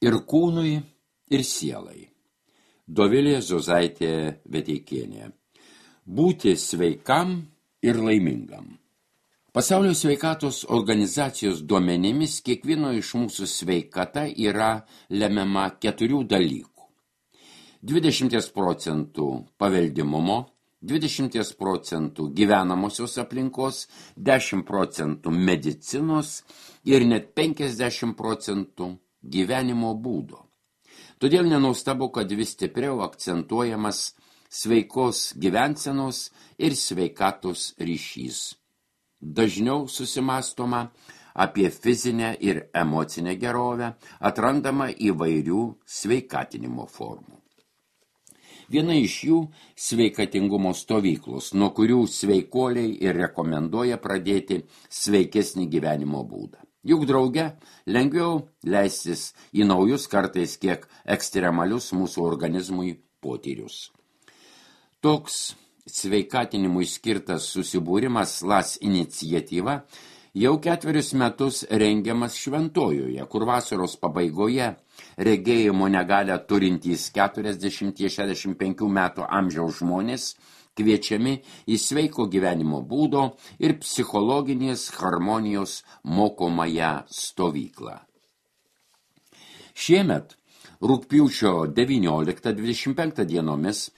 ir kūnui, ir sielai. Dovilė Zozaitė Veteikienė. Būti sveikam ir laimingam. Pasaulio sveikatos organizacijos duomenimis kiekvieno iš mūsų sveikata yra lemiama 4 dalykų. 20% paveldimumo, 20% gyvenamosios aplinkos, 10% medicinos ir net 50% gyvenimo būdo. Todėl nenuostabu, kad vis stipriau akcentuojamas sveikos gyvensenos ir sveikatos ryšys. Dažniau susimąstoma apie fizinę ir emocinę gerovę, atrandama įvairių sveikatinimo formų. Viena iš jų sveikatingumo stovyklos, nuo kurių sveikuoliai ir rekomenduoja pradėti sveikesnį gyvenimo būdą. Juk drauge lengviau leistis į naujus, kartais kiek ekstremalius mūsų organizmui potyrius. Toks sveikatinimui skirtas susibūrimas LAS iniciatyva jau 4 metus rengiamas Šventojoje, kur vasaros pabaigoje regėjimo negalią turintys 40-65 metų amžiaus žmonės kviečiami į sveiko gyvenimo būdo ir psichologinės harmonijos mokomąją stovyklą. Šiemet rugpjūčio 19-25 dienomis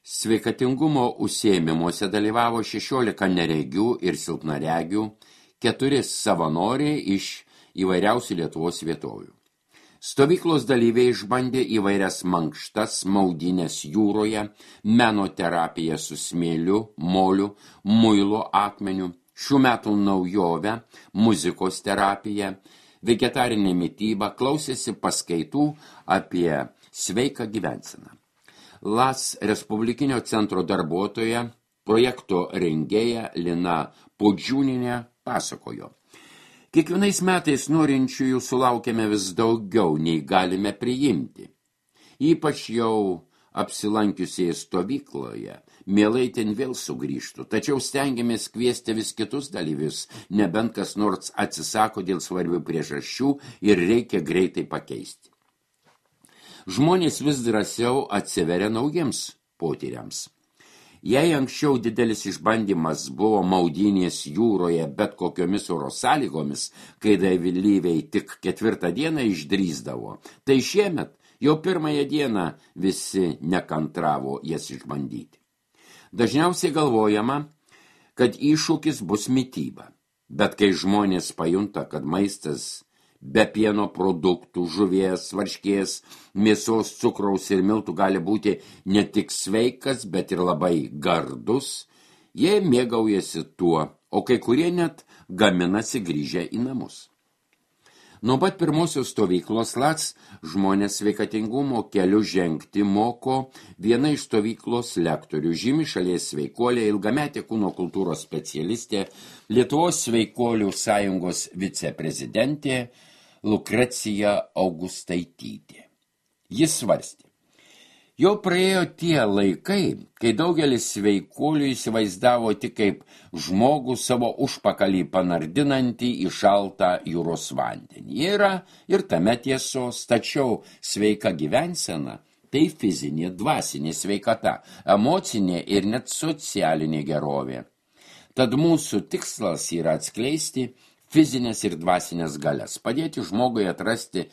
sveikatingumo užsiėmimuose dalyvavo 16 neregių ir silpnaregių, 4 savanoriai iš įvairiausių Lietuvos vietovių. Stovyklos dalyviai išbandė įvairias mankštas, maudynės jūroje, menoterapiją su smėliu, moliu, muilo akmeniu, šių metų naujovę, muzikos terapiją, vegetarinę mitybą, klausėsi paskaitų apie sveiką gyvenseną. LAS Respublikinio centro darbuotoja, projekto rengėja Lina Podžiūninė pasakojo. Kiekvienais metais norinčiųjų sulaukiame vis daugiau, nei galime priimti. Ypač jau apsilankiusiai stovykloje, mielai ten vėl sugrįžtų, tačiau stengiamės kviesti vis kitus dalyvius, nebent kas nors atsisako dėl svarbių priežasčių ir reikia greitai pakeisti. Žmonės vis drąsiau atsiveria naujiems potyriams. Jei anksčiau didelis išbandymas buvo maudynės jūroje bet kokiomis oro sąlygomis, kai dalyviai tik 4 dieną išdrįsdavo, tai šiemet jau 1 dieną visi nekantravo jas išbandyti. Dažniausiai galvojama, kad iššūkis bus mityba, bet kai žmonės pajunta, kad maistas be pieno produktų, žuvies, varškės, mėsos, cukraus ir miltų gali būti ne tik sveikas, bet ir labai gardus, jie mėgaujasi tuo, o kai kurie net gaminasi grįžę į namus. Nuo pat pirmosios stovyklos LAS žmonės sveikatingumo keliu žengti moko viena iš stovyklos lektorių, žymi šalies sveikuolė, ilgametė kūno kultūros specialistė, Lietuvos sveikuolių sąjungos viceprezidentė Lukrecija Augustaitytė. Jis svarstė. Jau praėjo tie laikai, kai daugelis sveikuolių įsivaizdavo tik kaip žmogų savo užpakalį panardinantį į šaltą jūros vandenį. Yra ir tame tiesos, tačiau sveika gyvensena tai fizinė, dvasinė sveikata, emocinė ir net socialinė gerovė. Tad mūsų tikslas yra atskleisti fizinės ir dvasinės galias, padėti žmogui atrasti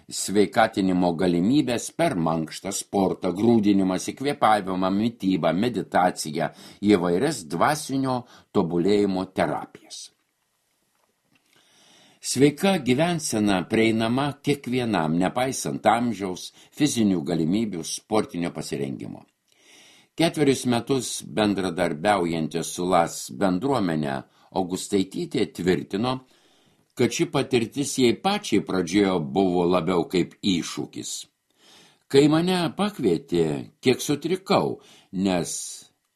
sveikatinimo galimybės per mankštą, sportą, grūdinimąsi, kvėpavimą, mitybą, meditaciją, įvairias dvasinio tobulėjimo terapijas. Sveika gyvensena prieinama kiekvienam, nepaisant amžiaus, fizinių galimybių, sportinio pasirengimo. 4 metus bendradarbiaujantys su LAS bendruomenė Augustaitytė tvirtino, kad ši patirtis jai pačiai pradžioje buvo labiau kaip iššūkis. Kai mane pakvietė, kiek sutrikau, nes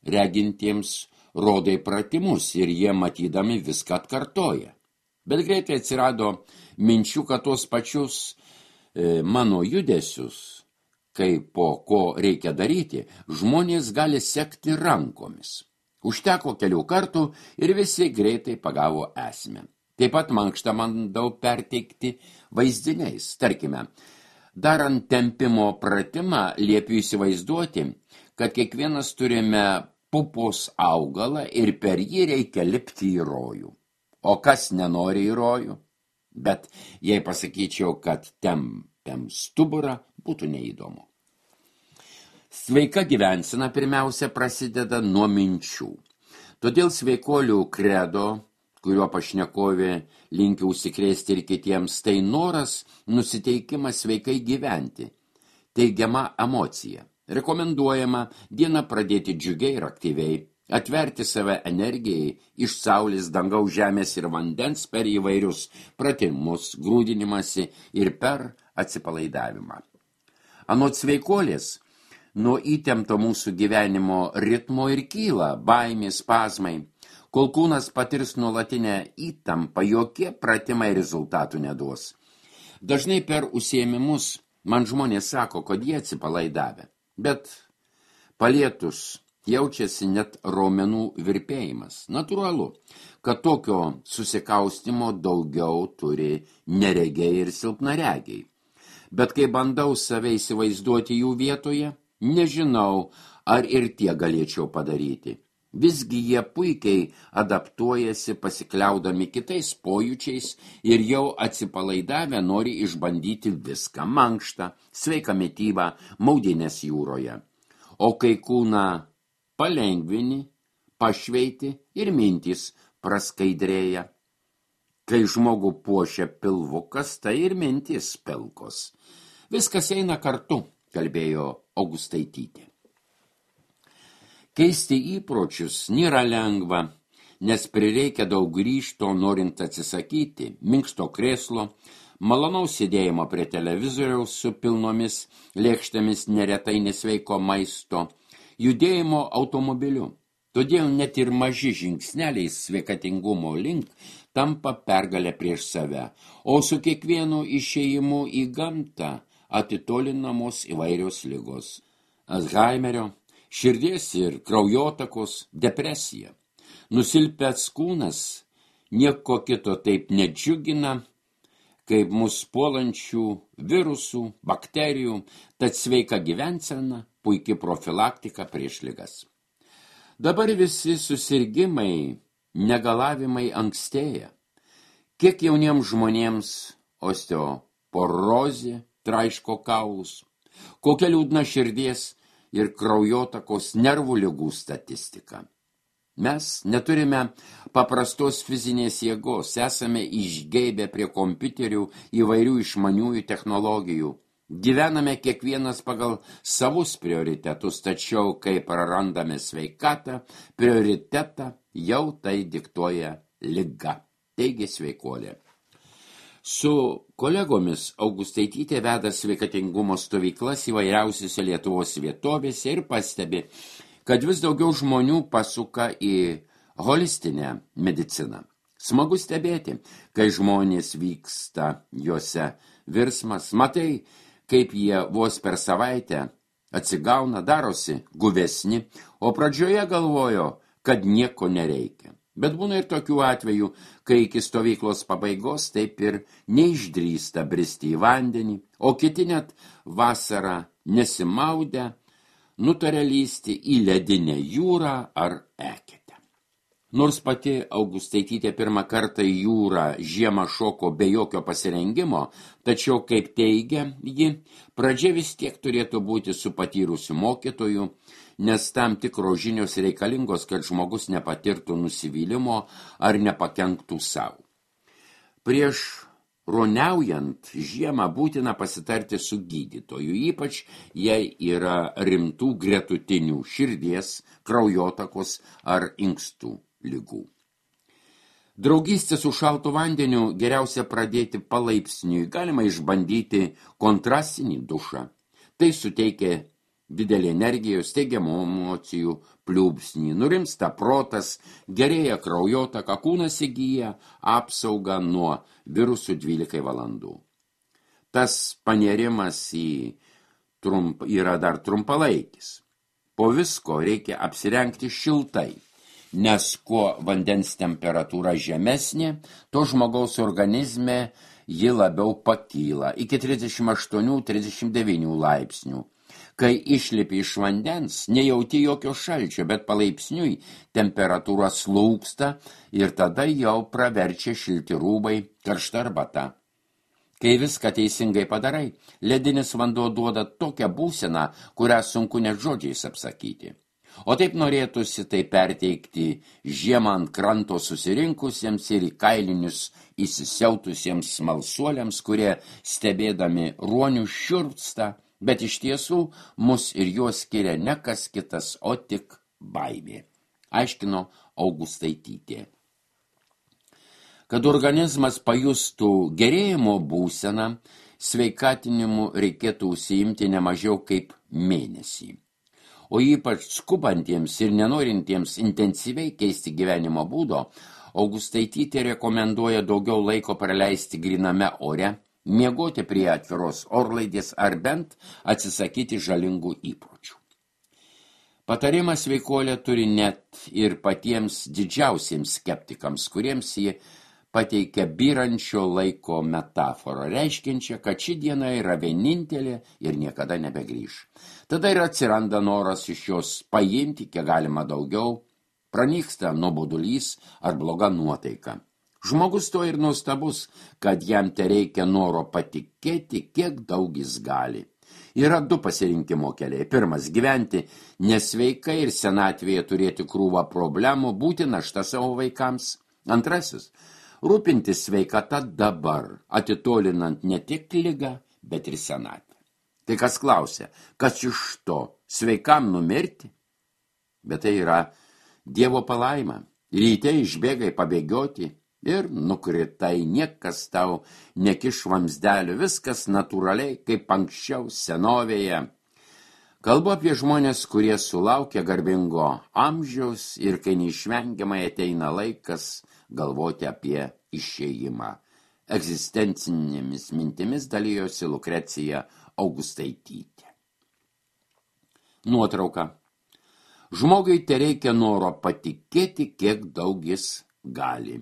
regintiems rodai pratimus ir jie matydami viską atkartoja. Bet greitai atsirado minčių, kad tos pačius mano judesius, kai po ko reikia daryti, žmonės gali sekti rankomis. Užteko kelių kartų ir visi greitai pagavo esmę. Taip pat mankštą bandau perteikti vaizdiniais. Tarkime, Darant tempimo pratimą, liepiu įsivaizduoti, kad kiekvienas turime pupos augalą ir per jį reikia lipti į rojų. O kas nenori į rojų? Bet jei pasakyčiau, kad tempiam stuburą, būtų neįdomu. Sveika gyvensena pirmiausia prasideda nuo minčių. Todėl sveikolių kredo, kuriuo pašnekovė linkia užsikrėsti ir kitiems, tai noras, nusiteikimas sveikai gyventi, teigiama emocija. Rekomenduojama dieną pradėti džiugiai ir aktyviai, atverti save energijai iš saulės, dangaus, žemės ir vandens per įvairius pratimus, grūdinimąsi ir per atsipalaidavimą. Anot sveikolės, nuo įtempto mūsų gyvenimo ritmo ir kyla baimės, spazmai. Kol kūnas patirs nuolatinę įtampą, jokie pratimai rezultatų neduos. Dažnai per užsiėmimus man žmonės sako, kad jie atsipalaidavę, bet palietus jaučiasi net raumenų virpėjimas. Natūralu, kad tokio susikaustimo daugiau turi neregiai ir silpnaregiai. Bet kai bandau save įsivaizduoti jų vietoje, nežinau, ar ir tie galėčiau padaryti. Visgi jie puikiai adaptuojasi pasikliaudami kitais pojūčiais ir jau atsipalaidavę nori išbandyti viską: mankštą, sveiką mitybą, maudynės jūroje. O kai kūną palengvini, pašveiti ir mintys praskaidrėja. Kai žmogų puošia pilvukas, tai ir mintys pilkos. Viskas eina kartu, kalbėjo Augustaitytė. Keisti įpročius nėra lengva, nes prireikia daug ryžto, norint atsisakyti minkšto krėslo, malonaus sėdėjimo prie televizoriaus su pilnomis lėkštėmis neretai nesveiko maisto, judėjimo automobiliu. Todėl net ir maži žingsneliai sveikatingumo link tampa pergalę prieš save, o su kiekvienu išėjimu į gamtą atitolinamos įvairios ligos: Alzheimerio, širdies ir kraujotakos, depresija. Nusilpęs kūnas nieko kito taip nedžiugina, kaip mus puolančių virusų, bakterijų, tad sveika gyvensena, puiki profilaktika prieš ligas. Dabar visi susirgimai, negalavimai ankstėja. Kiek jauniems žmonėms osteoporozė traiško kaulus, kokia liūdna širdies ir kraujotakos nervų ligų statistika. Mes neturime paprastos fizinės jėgos, esame išgeibę prie kompiuterių įvairių išmaniųjų technologijų. Gyvename kiekvienas pagal savus prioritetus, tačiau kai prarandame sveikatą, prioritetą jau tai diktuoja liga, teigė sveikolė. Su kolegomis Augustaitytė veda sveikatingumo stovyklas įvairiausiose Lietuvos vietovėse ir pastebi, kad vis daugiau žmonių pasuka į holistinę mediciną. Smagu stebėti, kai žmonės vyksta juose virsmas, matai, kaip jie vos per savaitę atsigauna, darosi guvesni, o pradžioje galvojo, kad nieko nereikia. Bet būna ir tokių atvejų, kai iki stovyklos pabaigos taip ir neišdrįsta bristi į vandenį, o kiti net vasarą nesimaudę nutarė lysti į ledinę jūrą ar eketę. Nors pati Augustaitytė pirmą kartą į jūrą žiemą šoko be jokio pasirengimo, tačiau, kaip teigia ji, pradžia vis tiek turėtų būti su patyrusiu mokytoju, nes tam tikros žinios reikalingos, kad žmogus nepatirtų nusivylimo ar nepakenktų savo. Prieš ruoniaujant žiemą būtina pasitarti su gydytoju, ypač jei yra rimtų gretutinių širdies, kraujotakos ar inkstų ligų. Draugystę su šaltu vandeniu geriausia pradėti palaipsniui, galima išbandyti kontrastinį dušą. Tai suteikia didelį energijos, teigiamų emocijų pliūpsnį, nurimsta protas, gerėja kraujotaka, kūnas įgyja apsaugą nuo virusų 12 valandų. Tas panerimas yra dar trumpalaikis. Po visko reikia apsirengti šiltai, nes kuo vandens temperatūra žemesnė, to žmogaus organizme ji labiau pakyla iki 38-39 laipsnių. Kai išlipi iš vandens, nejauti jokio šalčio, bet palaipsniui temperatūra slūgsta ir tada jau praverčia šilti rūbai, karšta arbata. Kai viską teisingai padarai, ledinis vanduo duoda tokią būseną, kurią sunku net žodžiais apsakyti. O taip norėtųsi tai perteikti žiemą ant kranto susirinkusiems ir į kailinius įsisiautusiems smalsuoliams, kurie stebėdami ruonių šiurpsta, bet iš tiesų mus ir juos skiria ne kas kitas, o tik baimė, aiškino Augustaitytė. Kad organizmas pajustų gerėjimo būseną, sveikatinimu reikėtų užsiimti ne mažiau kaip mėnesį. O ypač skubantiems ir nenorintiems intensyviai keisti gyvenimo būdo, Augustaitytė rekomenduoja daugiau laiko praleisti gryname ore, miegoti prie atviros orlaidės ar bent atsisakyti žalingų įpročių. Patarimas sveikuolė turi net ir patiems didžiausiems skeptikams, kuriems jie pateikia byrančio laiko metaforą, reiškiančią, kad ši diena yra vienintelė ir niekada nebegrįš. Tada ir atsiranda noras iš jos paimti, kiek galima daugiau, pranyksta nuobodulys ar bloga nuotaika. Žmogus to ir nuostabus, kad jam tereikia noro patikėti, kiek daug jis gali. Yra du pasirinkimo keliai. Pirmas – gyventi nesveikai ir senatvėje turėti krūvą problemų, būti našta savo vaikams. Antrasis – rūpintis sveikata dabar, atitolinant ne tik ligą, bet ir senatvę. Tai kas klausia, kas iš to, sveikam numirti? Bet tai yra Dievo palaima. Ryte išbėgai pabėgioti ir nukritai, niekas tau nekiš vamzdelių, viskas natūraliai, kaip anksčiau senovėje. Kalbu apie žmonės, kurie sulaukia garbingo amžiaus ir kai neišvengiamai ateina laikas galvoti apie išėjimą. Egzistencinėmis mintimis dalijosi Lukrecija Augustaitytė. Nuotrauka. Žmogui tereikia noro patikėti, kiek daug jis gali.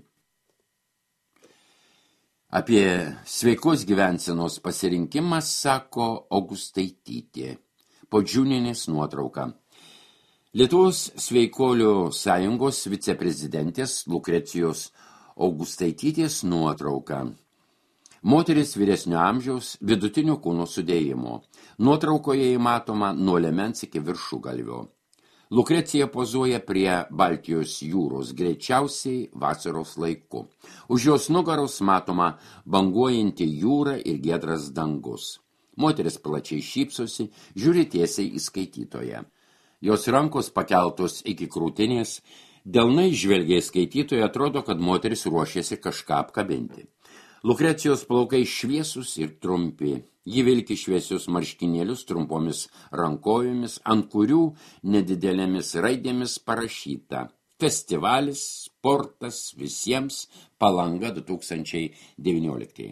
Apie sveikos gyvensenos pasirinkimą sako Augustaitytė. Podžiūnienės nuotrauka. Lietuvos sveikolių sąjungos viceprezidentės Lukrecijos Augustaitytės nuotrauka. Moteris vyresnio amžiaus, vidutinio kūno sudėjimo. Nuotraukoje įmatoma nuo liemens iki viršugalvio. Lukrecija pozuoja prie Baltijos jūros, greičiausiai vasaros laiku. Už jos nugaros matoma banguojanti jūra ir giedras dangus. Moteris plačiai šypsosi, žiūri tiesiai į skaitytoją. Jos rankos pakeltos iki krūtinės, delnai žvelgia į skaitytoją, atrodo, kad moteris ruošiasi kažką apkabinti. Lukrecijos plaukai šviesus ir trumpi. Ji vilki šviesius marškinėlius trumpomis rankovėmis, ant kurių nedidelėmis raidėmis parašyta: Festivalis, sportas visiems, Palanga 2019.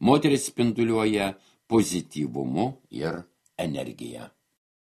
Moteris spinduliuoja pozityvumu ir energija.